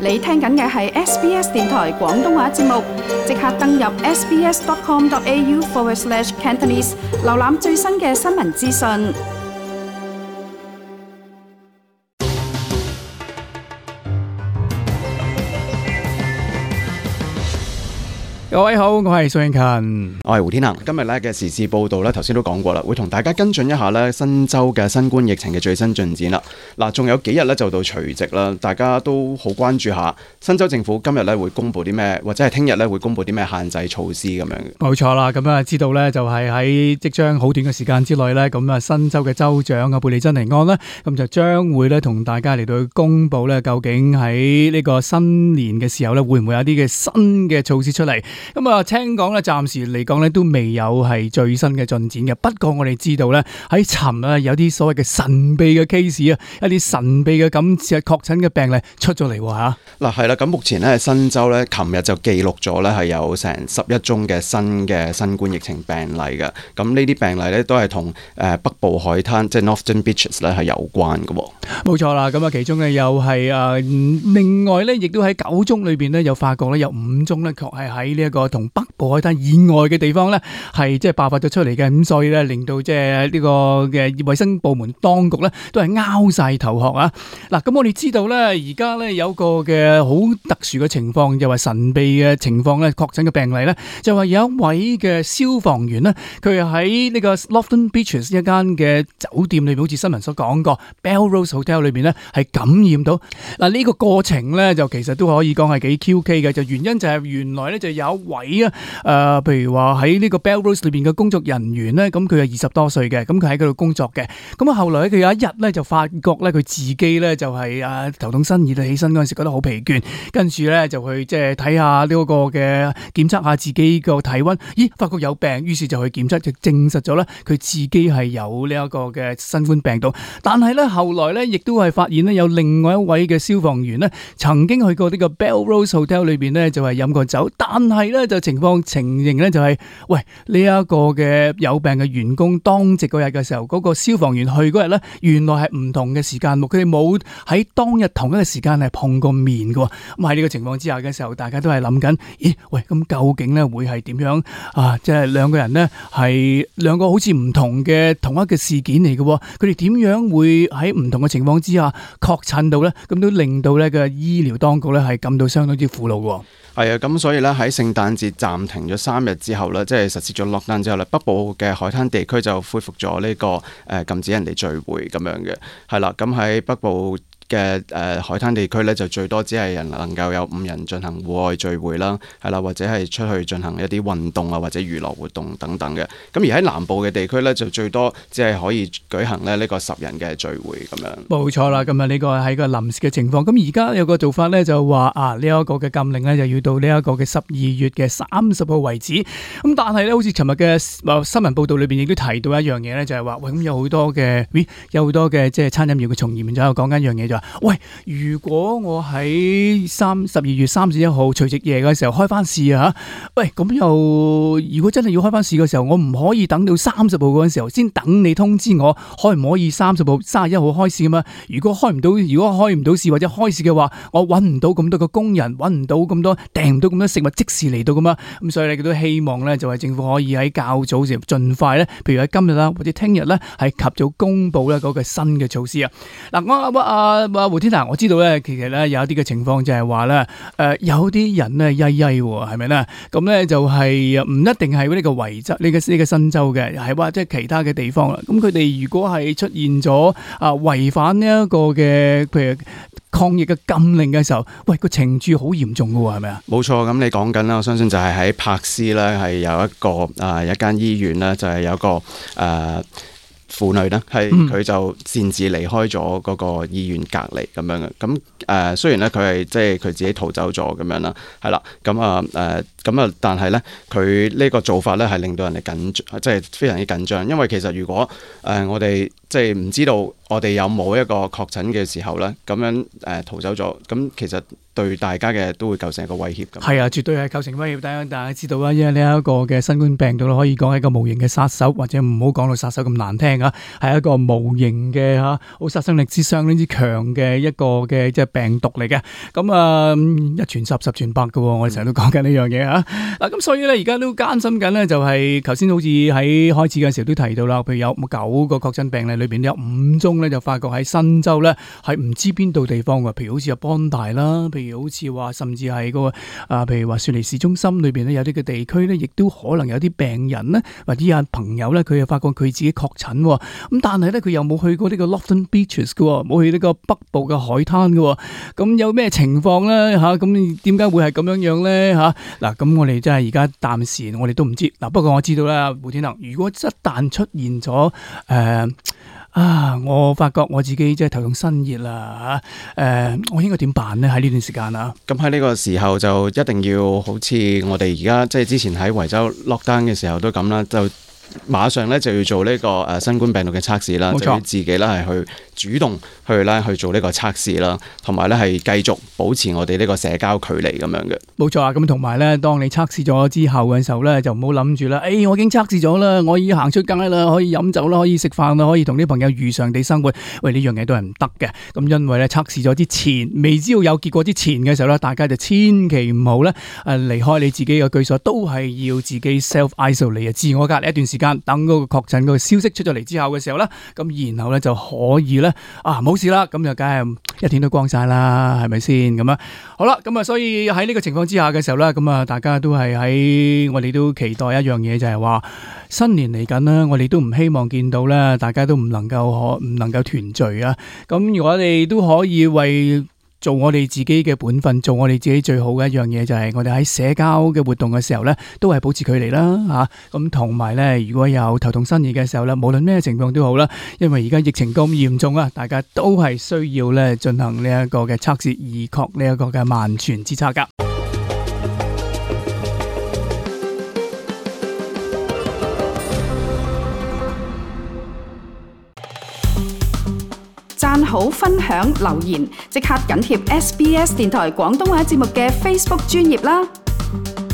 你聽緊嘅係 SBS 電台廣東話節目，即刻登入 sbs.com.au/Cantonese 瀏覽最新嘅新聞資訊。各位好，我係蘇永勤，我係胡天行。今日咧嘅時事報道咧，頭先都講過啦，會同大家跟進一下咧新州嘅新冠疫情嘅最新進展啦。嗱，仲有幾日咧就到除夕啦，大家都好關注下新州政府今日咧會公布啲咩，或者係聽日咧會公布啲咩限制措施咁樣嘅。冇錯啦，咁啊知道咧就係喺即將好短嘅時間之內咧，咁啊新州嘅州長啊貝利珍尼安咧，咁就將會咧同大家嚟到去公布咧，究竟喺呢個新年嘅時候咧，會唔會有啲嘅新嘅措施出嚟？咁啊，聽講咧，暫時嚟講咧都未有係最新嘅進展嘅。不過我哋知道咧，喺尋日有啲所謂嘅神秘嘅 case 啊，一啲神秘嘅咁似係確診嘅病例出咗嚟吓。嗱係啦，咁目前咧新州咧，琴日就記錄咗咧係有成11宗嘅新冠疫情病例嘅。咁呢啲病例咧都係同北部海灘即係 Northern Beaches 咧係有關嘅。冇錯啦，咁啊其中咧又係另外咧亦都喺9宗裏邊咧又發覺咧有5宗咧確係喺呢一個同北部海灘以外嘅地方咧，係即係爆發咗出嚟嘅，咁所以咧令到即係呢個嘅衛生部門當局咧都係拗晒頭殼啊！嗱，咁我哋知道咧，而家咧有個嘅好特殊嘅情況，就係神秘嘅情況咧，確診嘅病例咧，就係有一位嘅消防員咧，佢喺呢個 Lofton Beaches 一間嘅酒店裏邊，好似新聞所講過 Belrose Hotel 裏邊咧係感染到。嗱，呢個過程咧就其實都可以講係幾 QK 嘅，就原因就係原來咧就有一位譬如話喺呢個 Belrose 裏邊嘅工作人員咧，咁佢係20多歲嘅，咁佢喺嗰度工作嘅，咁啊後來佢有一日咧就發覺咧佢自己咧就係頭痛身熱，起身嗰陣時覺得好疲倦，跟住咧就去即係睇下呢個嘅檢測下自己個體溫，咦發覺有病，於是就去檢測，就證實咗咧佢自己係有呢一個嘅新冠病毒，但係咧後來咧亦都係發現咧有另外一位嘅消防員咧曾經去過呢個 Belrose Hotel 裏邊咧就係飲過酒，但係咧就情形咧就係，喂呢一個嘅有病嘅員工當值嗰日嘅時候，嗰個消防員去嗰日咧，原來係唔同嘅時間，佢哋冇喺當日同一個時間係碰過面嘅。咁喺呢個情況之下嘅時候，大家都係諗緊，咦喂，咁究竟咧會係點樣啊？即係兩個人咧係兩個好似唔同嘅同一個事件嚟嘅，佢哋點樣會喺唔同嘅情況之下確診到咧？咁都令到咧嘅醫療當局咧係感到相當之苦惱嘅。係啊，咁所以咧喺聖誕節暫停咗3日之後咧，即係實施咗 lockdown 之後咧，北部嘅海灘地區就恢復咗呢個禁止人哋聚會咁樣嘅，係啦，咁喺北部嘅海灘地區咧，就最多只係能夠有5人進行戶外聚會啦，係啦，或者係出去進行一啲運動啊，或者娛樂活動等等嘅。咁而喺南部嘅地區咧，就最多只係可以舉行咧呢個10人嘅聚會咁樣。冇錯啦，咁啊呢個係個臨時嘅情況。咁而家有個做法咧，就話呢一個嘅禁令咧，就要到呢一個嘅12月嘅30號為止。咁但係咧，好似尋日嘅新聞報道裏邊亦都提到一樣嘢咧，就係話喂，咁有好多嘅即係餐飲業嘅從業員就喺度講緊一樣嘢，喂，如果我喺12月31號除夕夜嘅時候開翻市啊，喂，咁又如果真係要開翻市嘅時候，我唔可以等到30號嗰陣時候先等你通知我，可唔可以30號、31號開市㗎嘛？如果開唔到市或者開市嘅話，我搵唔到咁多個工人，搵唔到咁多，訂唔到咁多食物即時嚟到㗎嘛？咁所以你都希望咧，就係政府可以喺較早時盡快咧，譬如喺今日啦或者聽日咧，係及早公布咧嗰個新嘅措施啊。嗱，胡天娜，我知道咧，其實咧有一啲嘅情況就係話咧，有啲人咧曳曳喎，係咪咧？咁咧就係唔一定係呢個維州呢個新州嘅，係話即係其他嘅地方啦。咁佢哋如果係出現咗違反呢一個嘅譬如抗疫嘅禁令嘅時候，喂，個懲處好嚴重㗎喎，係咪啊？冇錯，咁你講緊啦，我相信就係喺柏斯咧，係有一個一間醫院咧，就係有一個婦女呢，係佢就擅自離開咗嗰個醫院隔離咁樣嘅。咁雖然咧佢係即係佢自己逃走咗咁樣啦，係啦，但係咧佢呢個做法咧係令到人哋緊張，即係非常之緊張。因為其實如果我哋即係唔知道我哋有冇一個確診嘅時候咧，咁樣逃走咗，咁其實對大家嘅都會構成一個威脅咁。係啊，絕對係構成威脅。大家知道啦，因為呢一個嘅新冠病毒可以講係一個無形嘅殺手，或者唔好講到殺手咁難聽啊，係一個無形嘅好殺傷力相當之強嘅一個嘅即係病毒嚟嘅。咁一傳十，十傳百嘅，我哋成日都講緊呢樣嘢嚇。嗱咁所以咧，而家都擔心緊咧，就係頭先好似喺開始嘅時候都提到啦，譬如有9個確診病例裏邊有5宗咧，就發覺喺新州咧係唔知邊度地方嘅，譬如好似有邦大啦，譬如好似話甚至係個譬如話雪梨市中心裏邊咧有啲嘅地區咧，亦都可能有啲病人咧或者有朋友咧，佢又發覺佢自己確診，咁但係咧佢又冇去過呢個 Lofton Beaches 嘅，冇去呢個北部嘅海灘嘅，咁有咩情況咧嚇？咁點解會係咁樣樣咧嚇？嗱，咁我哋真係而家暫時我哋都唔知。嗱，不過我知道啦，胡天能，如果一旦出現咗我發覺我自己即係頭痛身熱啦嚇，我應該點辦呢？喺呢段時間啊，咁喺呢個時候就一定要好似我哋而家即係之前喺維州 lockdown 嘅時候都咁啦，就馬上咧就要做呢個新冠病毒嘅測試啦，就要自己咧係去主動去做呢個測試啦，同埋咧係繼續保持我哋呢個社交距離咁樣嘅。冇錯啊！咁同埋咧，當你測試咗之後嘅時候咧，就唔好諗住啦。我已經測試咗啦，我已經行出街啦，可以飲酒啦，可以食飯啦，可以同啲朋友如常地生活。喂，呢樣嘢都係唔得嘅。咁因為咧測試咗之前，未知道有結果之前嘅時候咧，大家就千祈唔好咧離開你自己嘅居所，都係要自己 self isolate 自我隔離一段時間，等嗰個確診嗰個消息出咗嚟之後嘅時候咧，咁然後咧就可以咧冇事啦，咁就梗係一天都光晒啦，係咪先咁啊？好啦，咁所以喺呢個情況之下嘅時候咧，咁大家都係喺我哋都期待一樣嘢，就係話新年嚟緊啦，我哋都唔希望見到咧，大家都唔能夠團聚啊。咁我哋都可以為做我哋自己嘅本分，做我哋自己最好嘅一樣嘢，就係我哋喺社交嘅活動嘅時候咧，都係保持距離啦嚇。咁同埋咧，如果有頭痛身熱嘅時候咧，無論咩情況都好啦，因為而家疫情咁嚴重啊，大家都係需要咧進行呢一個嘅測試，以確呢一個嘅萬全之策噶。讚好、分享、留言，即刻緊貼SBS 電台廣東話節目嘅 Facebook 專頁啦！